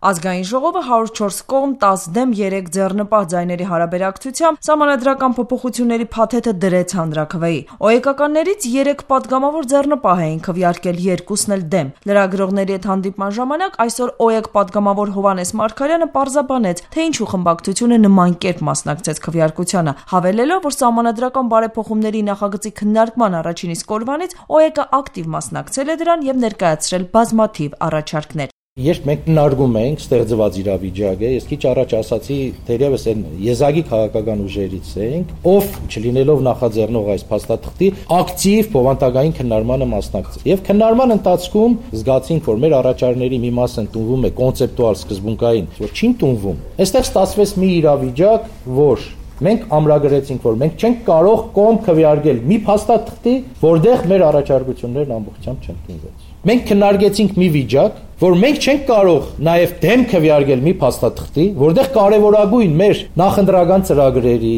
Ազգային ժողովը 104 կողմ 10 դեմ 3 ձեռնպահ ձայների հարաբերակցությամբ սահմանադրական փոփոխությունների փաթեթը դրեց հանրաքվեի։ ՕԵԿ-ականներից 3 պատգամավոր ձեռնպահ էին քվեարկել, 2-ն էլ դեմ։ Լրագրողների հետ հանդիպման ժամանակ այսօր ՕԵԿ պատգամավոր Հովհաննես Մարգարյանը պարզաբանեց, թե ինչու խմբակցությունը նման կերպ մասնակցեց քվեարկությանը, հավելելով, որ սահմանադրական բարեփոխումների նախագծի քննարկման առաջին իսկ օրվանից ՕԵԿ-ը ակտիվ մասնակցել է դրան եւ ներկայացրել բազմաթիվ առաջարկներ։ Երբ մենք քննարկում ենք ստեղծված իրավիճակը, ես քիչ առաջ ասացի, թերևս այն եզակի քաղաքական ուժերից ենք, ով չլինելով նախաձեռնող այս փաստաթղթի, ակտիվ բովանդակային քննարկմանը մասնակցել։ Եվ քննարկման ընթացքում զգացինք, որ մեր առաջարկների մի մասը ընդունվում է կոնցեպտուալ սկզբունքային, որ չի ընդունվում։ Այստեղ ստացվեց մի իրավիճակ, որ մենք ամրագրեցինք, որ մենք չենք կարող կողմ քվեարկել մի փաստաթղթի, որտեղ մեր առաջարկություններն ամբողջությամբ չընդունվեց։ Մենք քննարկեցինք մի վիճակ, որ մենք չենք կարող նաև դեմ քվեարկել մի փաստաթղթի, որտեղ կարևորագույն մեր նախընտրական ծրագրերի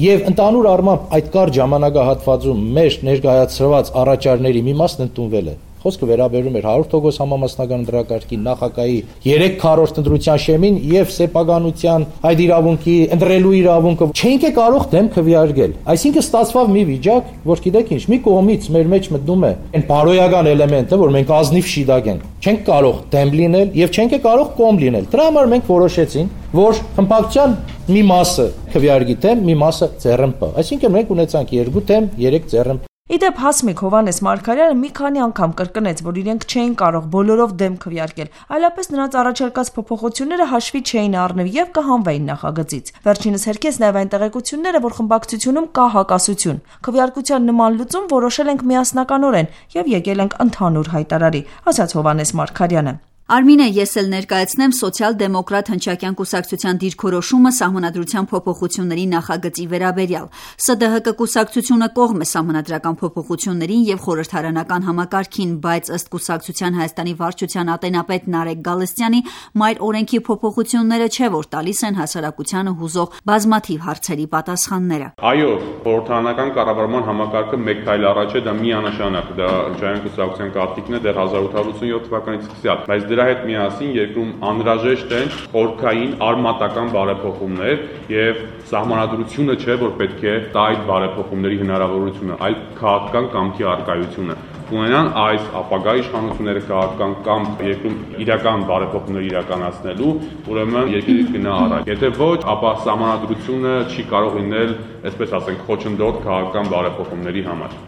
եւ ընդհանուր առմամբ այդ կարճ ժամանակահատվածում մեր ներկայացրված առաջարկների մի մասն ընդունվել է։ Խոսքը վերաբերում էր 100% համամասնական ընտրակարգի նախագահի 3/4 ընտրության շեմին եւ սեփականության այդ իրավունքի ընտրելու իրավունքը չենք կարող դեմ քվեարկել։ Այսինքն ստացվավ մի վիճակ, որ գիտեք ինչ, մի կողմից մեր մեջ մտնում է այն բարոյական էլեմենտը, որ մենք ազնիվ շիդակ ենք, չենք կարող դեմ լինել եւ չենք կարող կողմ լինել։ Դրա համար մենք որոշեցինք, որ խմբակցության մի մասը քվեարկի դեմ, մի մասը ձեռնպահ։ Այսինքն մենք ունեցանք 2 դեմ, 3 ձեռնպահ։ Իդեպ Հասմիկ Հովհաննես Մարգարյանը մի քանի անգամ կրկնեց, որ իրենք չէին կարող բոլորով դեմ քվեարկել, այլապես նրանց առաջարկած փոփոխությունները հաշվի չէին առնվի եւ կհանվեին նախագծից։ Վերջինս հերքեց նաեւ այն տեղեկությունները, որ խմբակցությունում կա հակասություն։ Քվեարկության նման լուծում որոշել ենք միասնականորեն եւ եկել ենք ընդհանուր հայտարարի, ասաց Հովհաննես Մարգարյանը։ Արմինե, ես էլ ներկայացնեմ սոցիալ-դեմոկրատ հնչակյան կուսակցության դիրքորոշումը սահմանադրության փոփոխությունների նախագծի վերաբերյալ։ ՍԴՀԿ կուսակցությունը կողմ է սահմանադրական փոփոխություններին եւ խորհրդարանական համակարգին, բայց ըստ կուսակցության Հայաստանի վարչության ատենապետ Նարեկ Գալստյանի մայր օրենքի փոփոխությունները չէ, որ տալիս են հասարակությանը հուզող բազմաթիվ հարցերի պատասխանները։ Այո, խորհրդարանական կառավարման համակարգը մեկ քայլ առաջ է, դա միանշանակ, դա հնչակյան կուսակցության կարգիկն է դեռ 1887 թվականից սկսյալ, բայց դրա հետ միասին երկրում անհրաժեշտ են խորքային արմատական բարեփոխումներ եւ սահմանադրությունը չէ, որ պետք է տա այդ բարեփոխումների հնարավորությունը, այլ քաղաքական կամքի առկայությունը։ Ունենան այս ապագա իշխանությունները քաղաքական կամ երկրում իրական բարեփոխումներ իրականացնելու, ուրեմն երկիրը գնա առաջ։ Եթե ոչ, ապա սահմանադրությունը չի կարող լինել, այսպես ասենք, խոչընդոտ քաղաքական բարեփոխումների համար։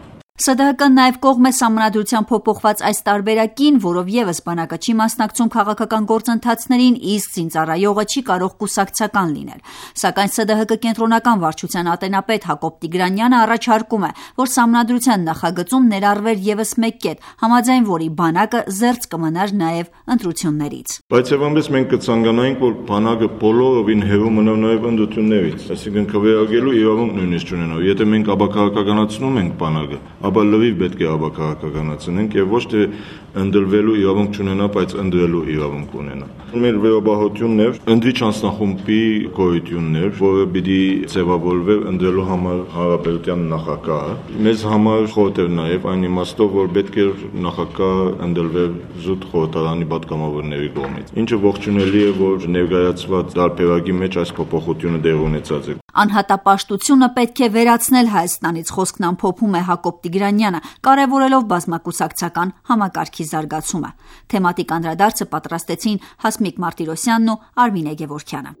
ՍԴՀԿ-ն նաև կողմ է սահմանադրության փոփոխված այս տարբերակին, որով ևս բանակը չի մասնակցում քաղաքական գործընթացներին, իսկ զինծառայողը չի կարող կուսակցական լինել։ Սակայն ՍԴՀԿ կենտրոնական վարչության ատենապետ Հակոբ Տիգրանյանը առաջարկում է, որ սահմանադրության նախագծում ներառվեր ևս մեկ կետ, համաձայն որի բանակը զերծ կմնար նաև ընտրություններից։ Բայց եւ այնպես մենք կցանկանայինք, որ բանակը բոլորովին հեռու մնա նաև ընտրություններից, այսինքն քվեարկելու իրավունք նույնիսկ չունենա։ Եթե մենք ապակարգականացնում ենք բանակը, ապա լրիվ պետք է ապակարգականացնենք եւ ոչ թե ընդդրվելու իրավունք չունենա, բայց ընդրելու իրավունք ունենա։ Մեր վերաբահությունն էր ընդրիչ անձնախումբի գոյությունն էր, որը պիտի ձևավորվեր ընդրելու համար հանրապետության նախագահը։ Մեզ համար խորտ էր նաեւ այն իմաստով, որ պետք է նախագահը ընդրվեր զուտ խորհրդարանի պատգամավորների կողմից։ Ինչը ողջունելի է, որ ներկայացված տարբերակի մեջ այս փոփոխությունը դեր ունեցած է։ Անհատապաշտությունը պետք է վերացնել Հայաստանից, խոսքն ամփոփում է Հակոբ Տիգրանյանը, կարևորելով բազմակուսակցական համակարգի զարգացումը։ Թեմատիկ անդրադարձը պատրաստեցին Հասմիկ Մարտիրոսյանն ու Արմինե Գևորգյանը։